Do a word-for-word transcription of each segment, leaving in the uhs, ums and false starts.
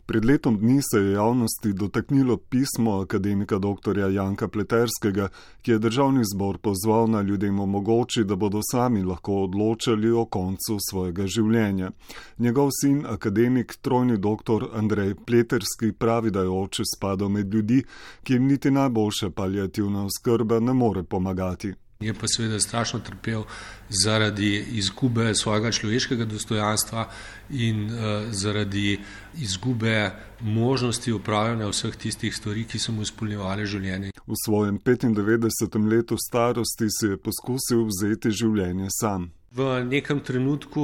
Pred letom dni se je javnosti dotaknilo pismo akademika doktorja Janka Pleterskega, ki je državni zbor pozval, naj ljudem omogoči, da bodo sami lahko odločali o koncu svojega življenja. Njegov sin, akademik, trojni doktor Andrej Pleterski, pravi, da je oče spadal med ljudi, ki jim niti najboljša paliativna oskrba ne more pomagati. Je pa seveda strašno trpel zaradi izgube svojega človeškega dostojanstva in uh, zaradi izgube možnosti upravljanja vseh tistih stvari, ki so mu izpolnjevale življenje. V svojem petindevetdesetem letu starosti si je poskusil vzeti življenje sam. V nekem trenutku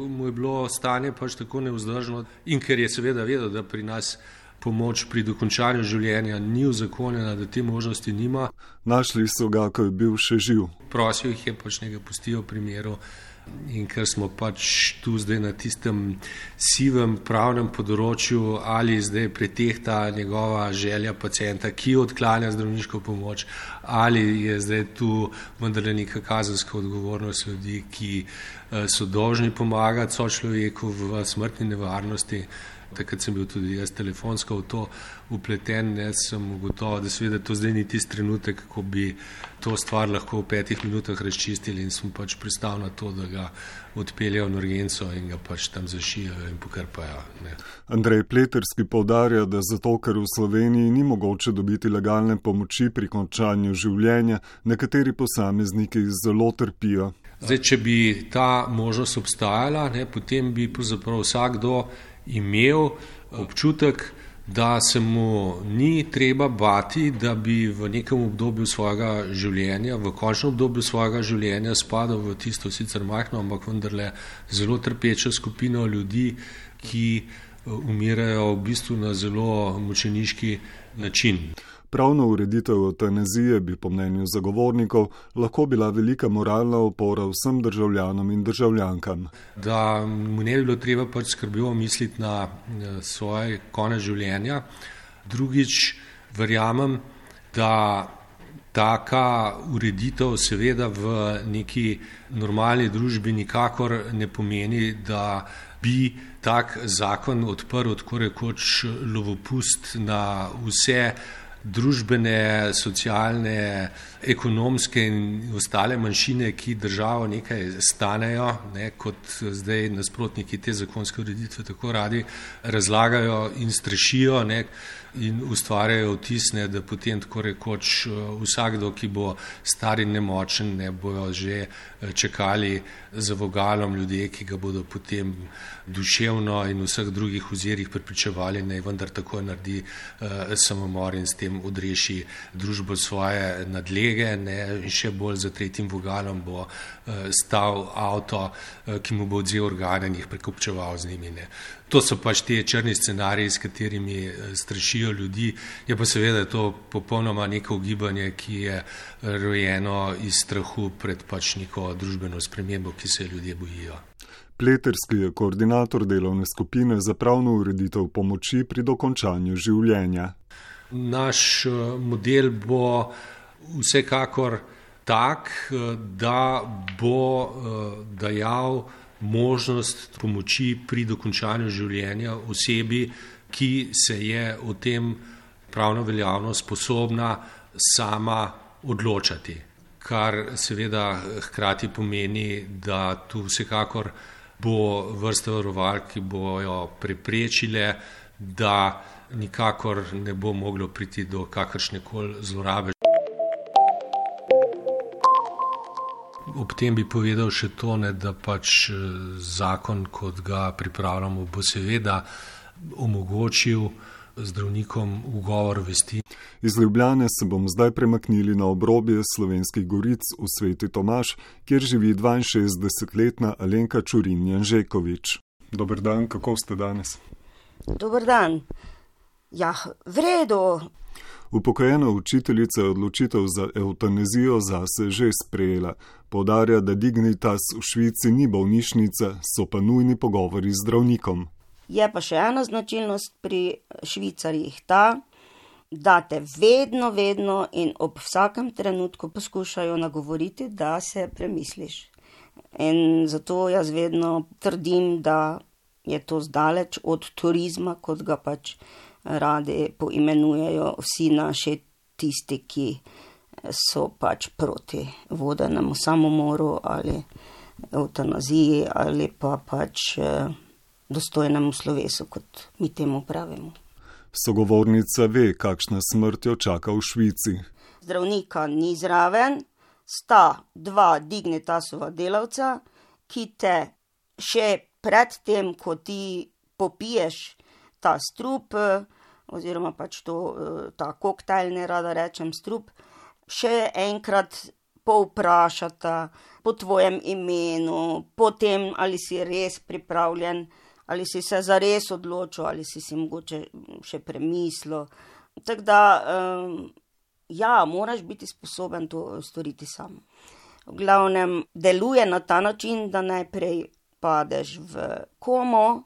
mu je bilo stanje pač tako nevzdržno in ker je seveda vedel, da pri nas pomoč pri dokončanju življenja ni uzakonjena, da te možnosti nima. Našli so ga, ko je bil še živ. Prosil jih je pač nekaj pustijo v primeru in ker smo pač tu zdaj na tistem sivem pravnem področju, ali zdaj pretehta njegova želja pacienta, ki odklanja zdravniško pomoč, ali je zdaj tu vendarle neka kazenska odgovornost ljudi, ki so dolžni pomagati sočloveku v smrtni nevarnosti. Takrat sem bil tudi jaz telefonsko v to upleten, ne, sem ugotovil, da seveda to zdaj ni tisti trenutek, ko bi to stvar lahko v petih minutah razčistili in sem pač pristal na to, da ga odpeljajo v urgenco in ga pač tam zašijajo in pokrpajo. Ne. Andrej Pleterski poudarja, da zato, ker v Sloveniji ni mogoče dobiti legalne pomoči pri končanju življenja, nekateri posamezniki zelo trpijo. Zdaj, če bi ta možnost obstajala, ne, potem bi pravzaprav vsakdo imel občutek, da se mu ni treba bati, da bi v nekem obdobju svojega življenja, v končnem obdobju svojega življenja spadal v tisto sicer majhno, ampak vendarle zelo trpečo skupino ljudi, ki umirajo v bistvu na zelo mučeniški način. Pravna ureditev evtanazije bi po mnenju zagovornikov lahko bila velika moralna opora vsem državljanom in državljankam. Da mu ne bi bilo treba pač skrbjo misliti na svoj konec življenja. Drugič, verjamem, da taka ureditev seveda v neki normalni družbi nikakor ne pomeni, da bi tak zakon odprl tako rekoč lovopust na vse družbene, socialne, ekonomske in ostale manjšine, ki državo nekaj stanejo, ne, kot zdaj nasprotniki te zakonske ureditve tako radi razlagajo in strašijo, ne, in ustvarjajo vtis, ne, da potem tako rekoč vsakdo, ki bo star in nemočen, ne, bojo že čakali za vogalom ljudje, ki ga bodo potem duševno in vseh drugih ozirih prepričevali, naj vendar tako naredi uh, samomor in s tem odreši družbo svoje nadlege, ne, in še bolj za tretjim vogalom bo uh, stal avto, uh, ki mu bo odzel organe in jih prekupčeval z njimi. Ne. To so pač te črni scenariji, s katerimi strašijo ljudi. Je pa seveda to popolnoma neko ugibanje, ki je rojeno iz strahu pred pač neko družbeno spremembo, ki se ljudje bojijo. Pleterski je koordinator delovne skupine za pravno ureditev pomoči pri dokončanju življenja. Naš model bo vsekakor tak, da bo dajal možnost pomoči pri dokončanju življenja osebi, ki se je o tem pravno veljavno sposobna sama odločati. Kar seveda hkrati pomeni, da tu vsekakor bo vrsta varovalk, ki bojo preprečile, da nikakor ne bo moglo priti do kakršnekoli zlorabe. Ob tem bi povedal še to, ne, da pač zakon, kot ga pripravljamo, bo seveda omogočil zdravnikom ugovor vesti. Iz Ljubljane se bom zdaj premaknili na obrobje Slovenskih goric v Sveti Tomaž, kjer živi dvainšestdesetletna Alenka Čurin Janžekovič. Dober dan, kako ste danes? Dober dan. Ja, v redu. Upokojena učiteljica je odločitev za evtanazijo zase že sprejela. Poudarja, da Dignitas v Švici ni bolnišnica, so pa nujni pogovori z zdravnikom. Je pa še ena značilnost pri Švicarjih ta, da te vedno, vedno in ob vsakem trenutku poskušajo nagovoriti, da se premisliš. In zato jaz vedno trdim, da je to zdaleč od turizma, kot ga pač radi poimenujejo vsi naši tisti, ki so pač proti vodenemu samomoru ali evtanaziji ali pa pač dostojnemu slovesu, kot mi temu pravimo. Sogovornica ve, kakšna smrt jo čaka v Švici. Zdravnika ni zraven, sta dva Dignitasova delavca, ki te še pred tem, ko ti popiješ ta strup, oziroma pač to, ta koktajl, ne rada rečem strup, še enkrat povprašata po tvojem imenu, po tem, ali si res pripravljen, ali si se zares odločil, ali si si mogoče še premislil. Tako da, ja, moraš biti sposoben to storiti sam. V glavnem, deluje na ta način, da najprej padeš v komo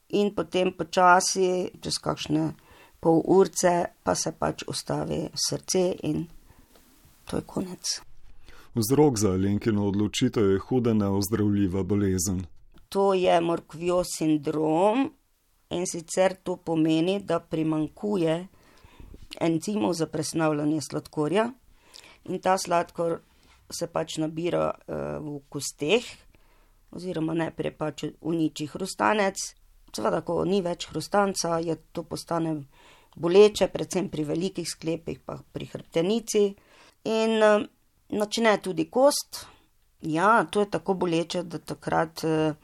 in potem počasi, čez kakšne pol urce, pa se pač ustavi srce in to je konec. Vzrok za Alenkino odločitev je huda neozdravljiva bolezen. To je Morquejev sindrom in sicer to pomeni, da primanjkuje encimov za presnavljanje sladkorja in ta sladkor se pač nabira uh, v kosteh, oziroma najprej pač uniči hrustanec. Seveda, ko ni več hrustanca, je to postane boleče, predvsem pri velikih sklepih, pa pri hrbtenici. In uh, načne tudi kost. Ja, to je tako boleče, da takrat uh,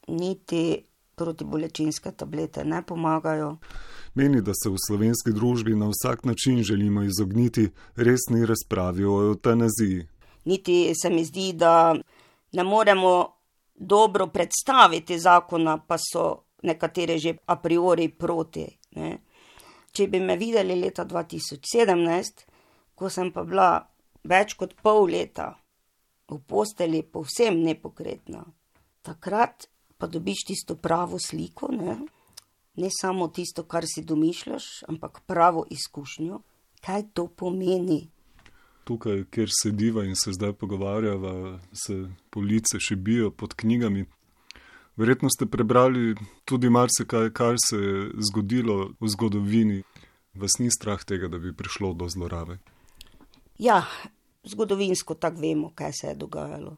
niti protibolečinske tablete ne pomagajo. Meni, da se v slovenski družbi na vsak način želimo izogniti resni razpravi o evtanaziji. Niti se mi zdi, da ne moremo dobro predstaviti zakona, pa so nekatere že a priori proti. Ne. Če bi me videli leta dva tisoč sedemnajst, ko sem pa bila več kot pol leta v posteli povsem nepokretna, takrat pa dobiš tisto pravo sliko, ne, ne samo tisto, kar si domišljaš, ampak pravo izkušnjo, kaj to pomeni. Tukaj, kjer sediva in se zdaj pogovarjava, se police še bijo pod knjigami. Verjetno ste prebrali tudi marsikaj, kar se je zgodilo v zgodovini. Vas ni strah tega, da bi prišlo do zlorabe? Ja, zgodovinsko tako vemo, kaj se je dogajalo.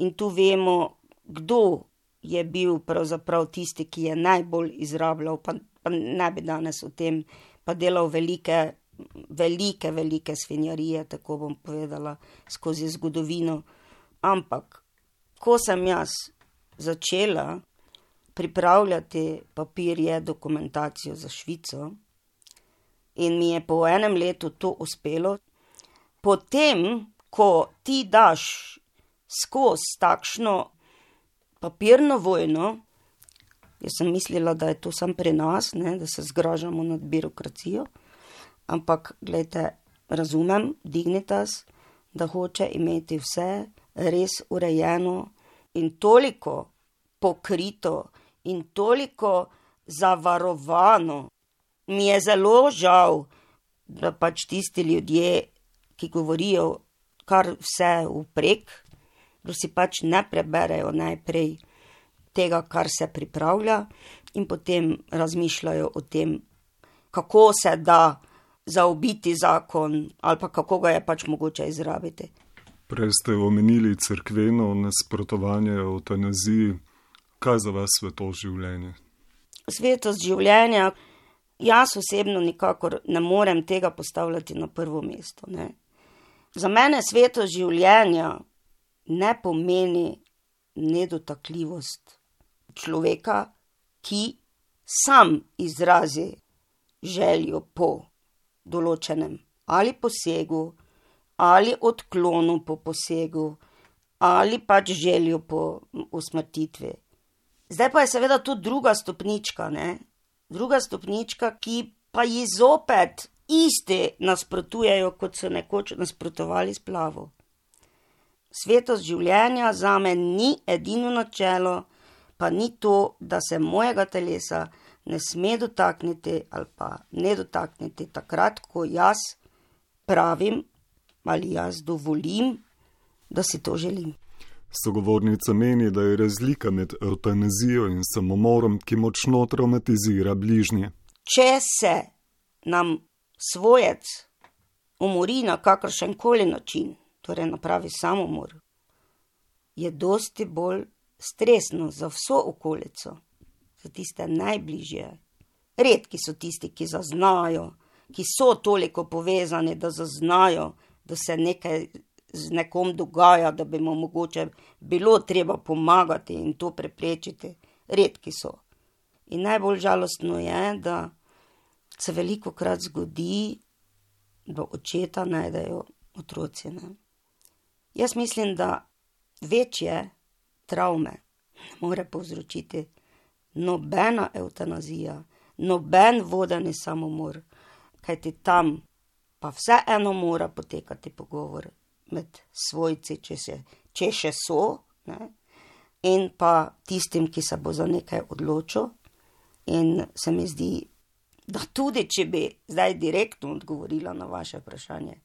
In tu vemo, kdo je bil pravzaprav tisti, ki je najbolj izrabljal, pa, pa ne bi danes o tem, pa delal velike velike, velike svinjarije, tako bom povedala, skozi zgodovino. Ampak, ko sem jaz začela pripravljati papirje, dokumentacijo za Švico in mi je po enem letu to uspelo, potem, ko ti daš skozi takšno papirno vojno, jaz sem mislila, da je to samo pri nas, ne, da se zgražamo nad birokracijo, ampak, gledajte, razumem Dignitas, da hoče imeti vse res urejeno in toliko pokrito in toliko zavarovano. Mi je zelo žal, da pač tisti ljudje, ki govorijo kar vse vprek, da si pač ne preberejo najprej tega, kar se pripravlja in potem razmišljajo o tem, kako se da zaobiti zakon ali pa kako ga je pač mogoče izrabiti. Prej ste omenili cerkveno nasprotovanje evtanaziji. Kaj za vas svetost življenja? Svetost življenja, jaz osebno nikakor ne morem tega postavljati na prvo mesto. Ne. Za mene svetost življenja ne pomeni nedotakljivost človeka, ki sam izrazi željo po določenem ali posegu, ali odklonu po posegu, ali pač željo po usmrtitvi. Zdaj pa je seveda to druga stopnička, ne? Druga stopnička, ki pa ji zopet isti nasprotujejo, kot so nekoč nasprotovali splavu. Svetost življenja zame ni edino načelo, pa ni to, da se mojega telesa ne sme dotakniti ali pa ne dotakniti takrat, ko jaz pravim ali jaz dovolim, da si to želim. Sogovornica meni, da je razlika med evtanazijo in samomorom, ki močno traumatizira bližnje. Če se nam svojec umori na kakršen koli način, torej napravi samomor, je dosti bolj stresno za vso okolico, za tiste najbližje. Redki so tisti, ki zaznajo, ki so toliko povezani, da zaznajo, da se nekaj z nekom dogaja, da bi mu mogoče bilo treba pomagati in to preprečiti. Redki so. In najbolj žalostno je, da se velikokrat zgodi, da očeta najdejo otroci. Ne? Jaz mislim, da večje travme ne more povzročiti nobena evtanazija, noben vodeni samomor, kajti tam pa vseeno mora potekati pogovor med svojci, če, se, če še so, ne? In pa tistim, ki se bo za nekaj odločil. In se mi zdi, da tudi, če bi zdaj direktno odgovorila na vaše vprašanje,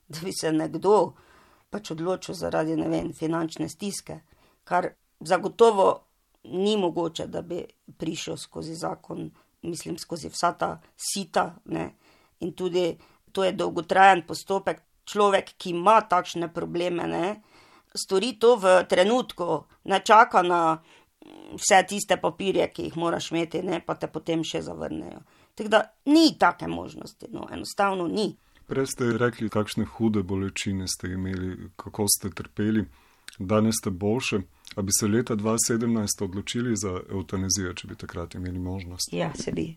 da bi se nekdo pač odločil zaradi, ne vem, finančne stiske, kar zagotovo ni mogoče, da bi prišel skozi zakon, mislim, skozi vsa ta sita, ne? In tudi to je dolgotrajen postopek. Človek, ki ima takšne probleme, ne, stori to v trenutku, ne čaka na vse tiste papirje, ki jih moraš imeti, ne, pa te potem še zavrnejo. Tako da ni take možnosti, no, enostavno ni. Prej ste rekli, kakšne hude bolečine ste imeli, kako ste trpeli, danes ste boljše. A bi se leta dva tisoč sedemnajst odločili za evtanazijo, če bi takrat imeli možnost? Ja, se bi.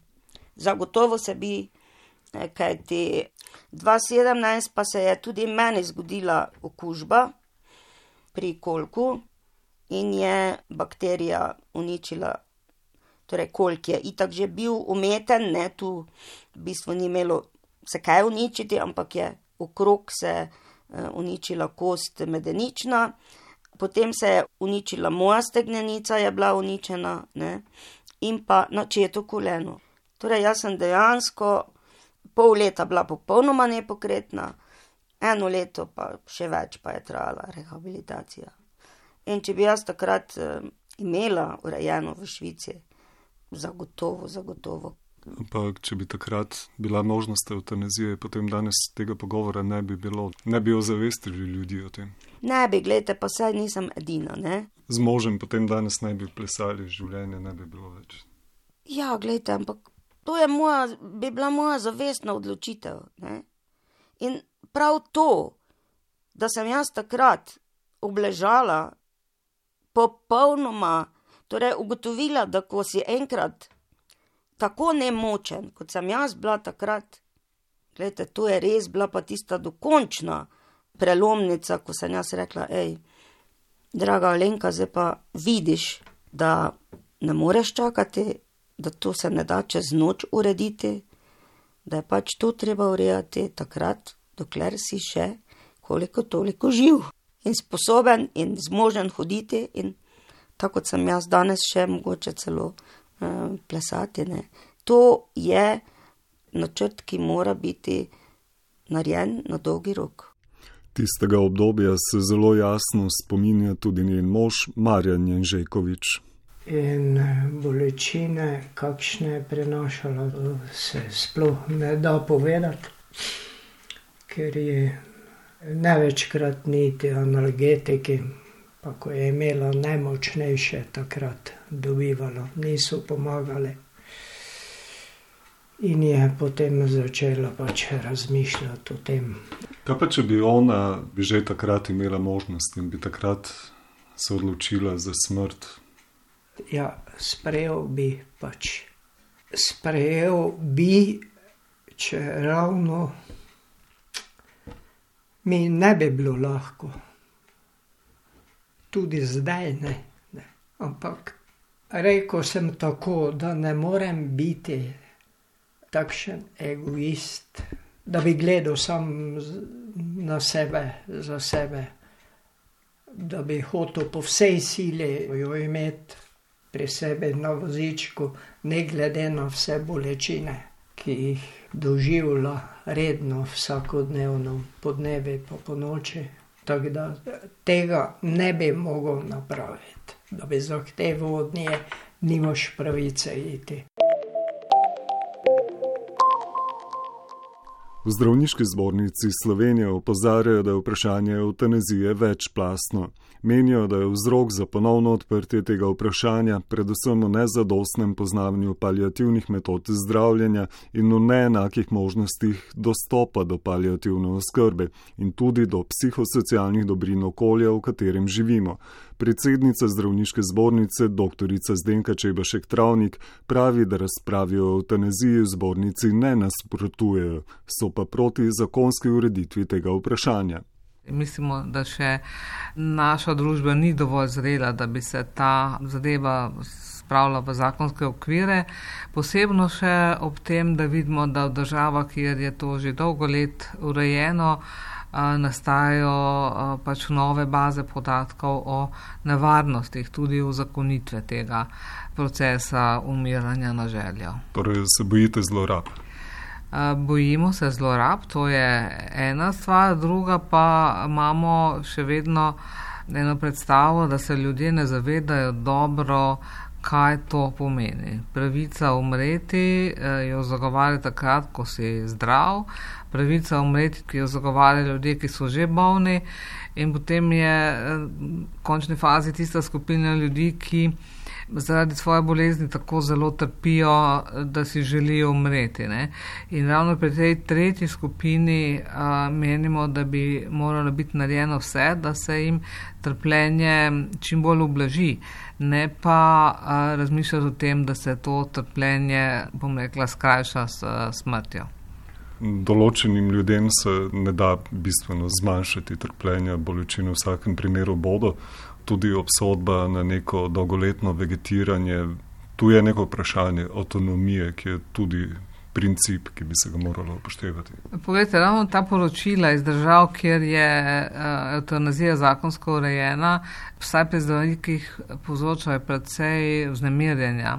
Zagotovo se bi. Kajti dva tisoč sedemnajst pa se je tudi meni zgodila okužba pri kolku in je bakterija uničila, torej kolk je itak že bil umeten, ne, tu v bistvu ni imelo se kaj uničiti, ampak je okrog se uničila kost medenična, potem se je uničila moja stegnenica, je bila uničena, ne, in pa načeto koleno. Torej jaz sem dejansko pol leta bila popolnoma nepokretna, eno leto pa še več pa je trajala rehabilitacija. In če bi jaz takrat eh, imela urejeno v Švici, zagotovo, zagotovo. Ampak če bi takrat bila možnost evtanazije, potem danes tega pogovora ne bi bilo, ne bi ozavestili ljudi o tem. Ne bi, glejte, pa saj nisem edina, ne. Z možem potem danes ne bi plesali, življenje ne bi bilo več. Ja, glejte, ampak to je moja, bi bila moja zavestna odločitev, ne? In prav to, da sem jaz takrat obležala popolnoma, torej ugotovila, da ko si enkrat tako nemočen, kot sem jaz bila takrat, glejte, to je res bila pa tista dokončna prelomnica, ko sem jaz rekla, ej, draga Alenka, zdaj pa vidiš, da ne moreš čakati, da to se ne da čez noč urediti, da je pač to treba urejati takrat, dokler si še koliko toliko živ in sposoben in zmožen hoditi in tako kot sem jaz danes še mogoče celo uh, plesati, ne. To je načrt, ki mora biti narejen na dolgi rok. Tistega obdobja se zelo jasno spominja tudi njen mož Marjan Jenžekovič. In bolečine, kakšne je prenašala, se sploh ne da povedati, ker je največkrat niti analgetiki, pa ko je imela najmočnejše takrat dobivalo, niso pomagali. In je potem začela pač razmišljati o tem. Kaj pa, če bi ona bi že takrat imela možnost in bi takrat se odločila za smrt? Ja, sprejel bi pač. Sprejel bi, če ravno mi ne bi bilo lahko. Tudi zdaj ne. ne. Ampak rekel sem tako, da ne morem biti takšen egoist, da bi gledal sam na sebe, za sebe, da bi hotel po vsej sili jo imeti pri sebi na vozičku, ne glede na vse bolečine, ki jih doživlja redno, vsakodnevno, po dnevi pa po noči. Tako da tega ne bi mogel napraviti, da bi zahteval od nje, nimaš pravice iti. V Zdravniški zbornici Slovenije opozarjajo, da je vprašanje evtanazije večplastno. Menijo, da je vzrok za ponovno odprtje tega vprašanja predvsem v nezadostnem poznavanju paliativnih metod zdravljenja in v neenakih možnostih dostopa do paliativne oskrbe in tudi do psihosocialnih dobrin okolja, v katerem živimo. Predsednica Zdravniške zbornice, doktorica Zdenka Čebašek Travnik, pravi, da razpravi o evtanaziji v zbornici ne nasprotujejo, so pa proti zakonski ureditvi tega vprašanja. Mislimo, da še naša družba ni dovolj zrela, da bi se ta zadeva spravila v zakonske okvire. Posebno še ob tem, da vidimo, da v državah, kjer je to že dolgo let urejeno, nastajajo pač nove baze podatkov o nevarnostih, tudi uzakonitve tega procesa umiranja na željo. Torej se bojite zlorab? Bojimo se zlorab, to je ena stvar, druga pa imamo še vedno eno predstavo, da se ljudje ne zavedajo dobro, kaj to pomeni. Pravica umreti jo zagovarja takrat, ko si zdrav, pravica umreti, ki jo zagovarjajo ljudje, ki so že bolni, in potem je v končni fazi tista skupina ljudi, ki zaradi svoje bolezni tako zelo trpijo, da si želijo umreti. Ne? In ravno pri tej tretji skupini a, menimo, da bi moralo biti narejeno vse, da se jim trpljenje čim bolj ublaži, ne pa a, razmišljati o tem, da se to trpljenje, bom rekla, skrajša s smrtjo. Določenim ljudem se ne da bistveno zmanjšati trpljenja, bolečine v vsakem primeru bodo. Tudi obsodba na neko dolgoletno vegetiranje. Tu je neko vprašanje avtonomije, ki je tudi princip, ki bi se ga moralo upoštevati. Poglejte, ravno ta poročila iz držav, kjer je evtanazija zakonsko urejena, vsaj pri zdravnikih povzročajo precej vznemirjenja.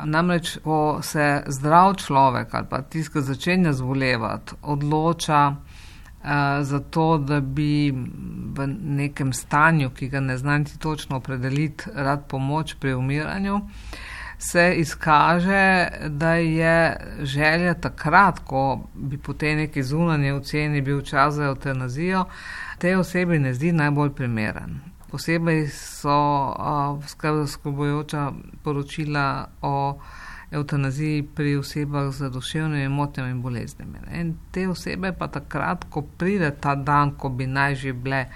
Namreč, ko se zdrav človek ali pa tisti, ki začenja zbolevati, odloča za to, da bi v nekem stanju, ki ga ne znam ti točno opredeliti, rad pomoč pri umiranju, se izkaže, da je želja takrat, ko bi po tej neki zunanji oceni bil čas za evtanazijo, tej osebi ne zdi najbolj primeren. Posebej so uh, skrb zaskrbljujoča poročila o evtanaziji pri osebah z duševnimi motnjami in boleznimi. In te osebe pa takrat, ko pride ta dan, ko bi naj že bile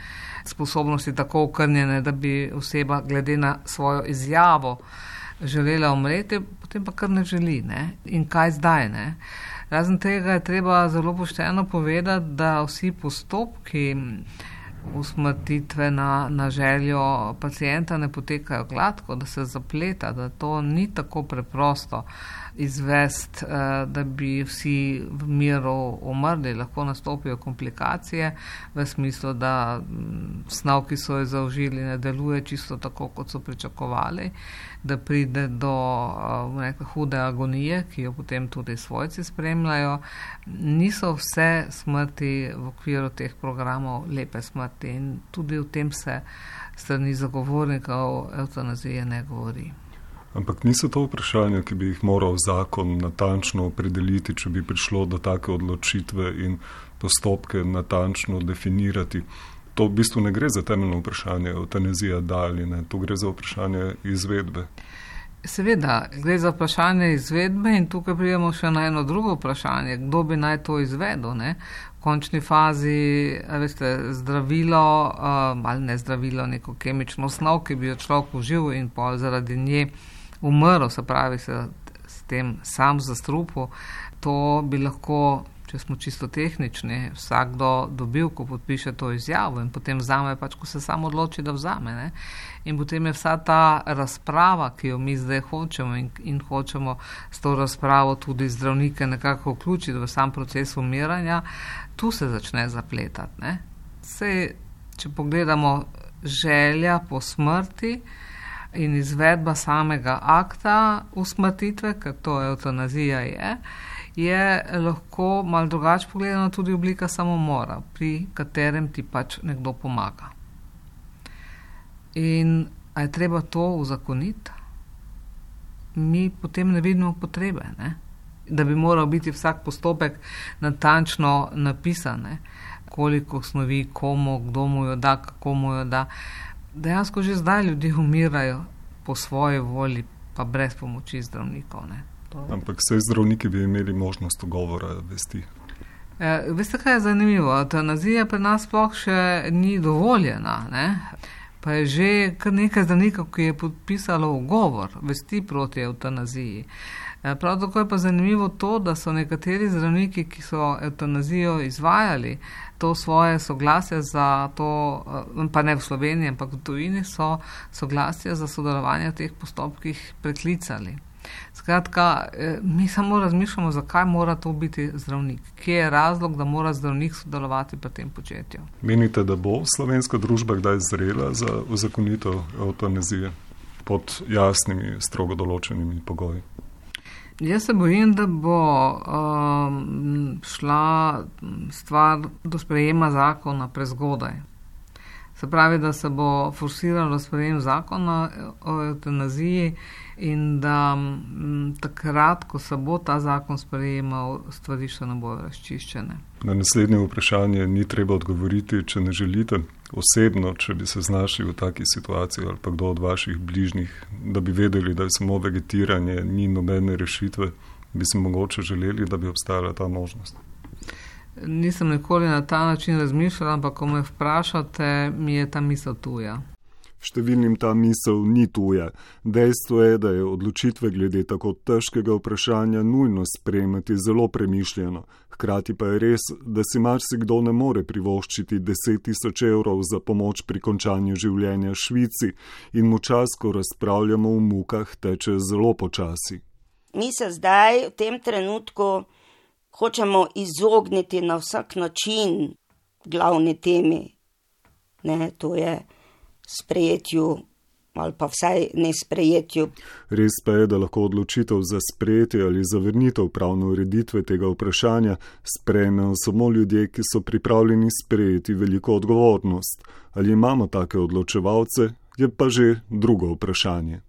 sposobnosti tako okrnjene, da bi oseba glede na svojo izjavo želela umreti, potem pa kar ne želi. Ne? In kaj zdaj? Ne? Razen tega je treba zelo pošteno povedati, da vsi postopki usmrtitve na, na željo pacijenta ne potekajo gladko, da se zapleta, da to ni tako preprosto izvesti, da bi vsi v miru umrli. Lahko nastopijo komplikacije v smislu, da snov, ki so jo zaužili, ne deluje čisto tako, kot so pričakovali, da pride do nekaj hude agonije, ki jo potem tudi svojci spremljajo. Niso vse smrti v okviru teh programov lepe smrti in tudi o tem se strani zagovornikov evtanazije ne govori. Ampak niso to vprašanja, ki bi jih moral zakon natančno opredeliti, če bi prišlo do take odločitve in postopke natančno definirati. To v bistvu ne gre za temeljno vprašanje evtanazija da ali ne, to gre za vprašanje izvedbe. Seveda, gre za vprašanje izvedbe in tukaj pridemo še na eno drugo vprašanje, kdo bi naj to izvedel, ne? V končni fazi, veste, zdravilo, ali ne zdravilo, neko kemično snov, ki bi jo človek užil in pa zaradi nje umrl, se pravi, se s tem sam zastrupil, to bi lahko, če smo čisto tehnični, vsakdo dobil, ko podpiše to izjavo in potem vzame, pač ko se sam odloči, da vzame. Ne? In potem je vsa ta razprava, ki jo mi zdaj hočemo in, in hočemo s to razpravo tudi zdravnike nekako vključiti v sam proces umiranja, tu se začne zapletati. Ne? Sej, če pogledamo želja po smrti in izvedba samega akta usmrtitve, ker to evtanazija je, je lahko malo drugače pogledana tudi oblika samomora, pri katerem ti pač nekdo pomaga. In a je treba to uzakoniti? Mi potem ne vidimo potrebe, ne? Da bi moral biti vsak postopek natančno napisan, ne? Koliko snovi, komu, kdo mu jo da, kako mu jo da. Dejansko že zdaj ljudje umirajo po svoji volji, pa brez pomoči zdravnikov. Ne? Ampak vse zdravniki bi imeli možnost ugovora vesti. E, veste, kaj je zanimivo? Evtanazija pri nas sploh še ni dovoljena, ne? Pa je že kar nekaj zdravnikov, ki je podpisalo ugovor vesti proti evtanaziji. Prav tako je pa zanimivo to, da so nekateri zdravniki, ki so evtanazijo izvajali, to svoje soglasje za to, pa ne v Sloveniji, ampak v tujini, so soglasje za sodelovanje v teh postopkih preklicali. Skratka, mi samo razmišljamo, zakaj mora to biti zdravnik. Kje je razlog, da mora zdravnik sodelovati pri tem početju? Menite, da bo slovenska družba kdaj zrela za uzakonitev evtanazije pod jasnimi, strogo določenimi pogoji? Jaz se bojim, da bo um, šla stvar do sprejema zakona prezgodaj. Se pravi, da se bo forsiralo sprejem zakona o evtanaziji in da m, takrat, ko se bo ta zakon sprejemal, stvari še ne bodo razčiščene. Na naslednje vprašanje ni treba odgovoriti, če ne želite. Osebno, če bi se znašli v taki situaciji ali pa kdo od vaših bližnjih, da bi vedeli, da je samo vegetiranje, ni nobene rešitve, bi si mogoče želeli, da bi obstajala ta možnost. Nisem nikoli na ta način razmišljala, ampak ko me vprašate, mi je ta misel tuja. Številnim ta misel ni tuja. Dejstvo je, da je odločitve glede tako težkega vprašanja nujno sprejemati zelo premišljeno. Hkrati pa je res, da si marsikdo ne more privoščiti deset tisoč evrov za pomoč pri končanju življenja v Švici in mu čas, ko razpravljamo v mukah, teče zelo počasi. Mi se zdaj v tem trenutku hočemo izogniti na vsak način glavni temi. Ne, to je sprejetju ali pa vsaj ne sprejetju. Res pa je, da lahko odločitev za sprejetje ali zavrnitev pravne ureditve tega vprašanja sprejmejo samo ljudje, ki so pripravljeni sprejeti veliko odgovornost. Ali imamo take odločevalce, je pa že drugo vprašanje.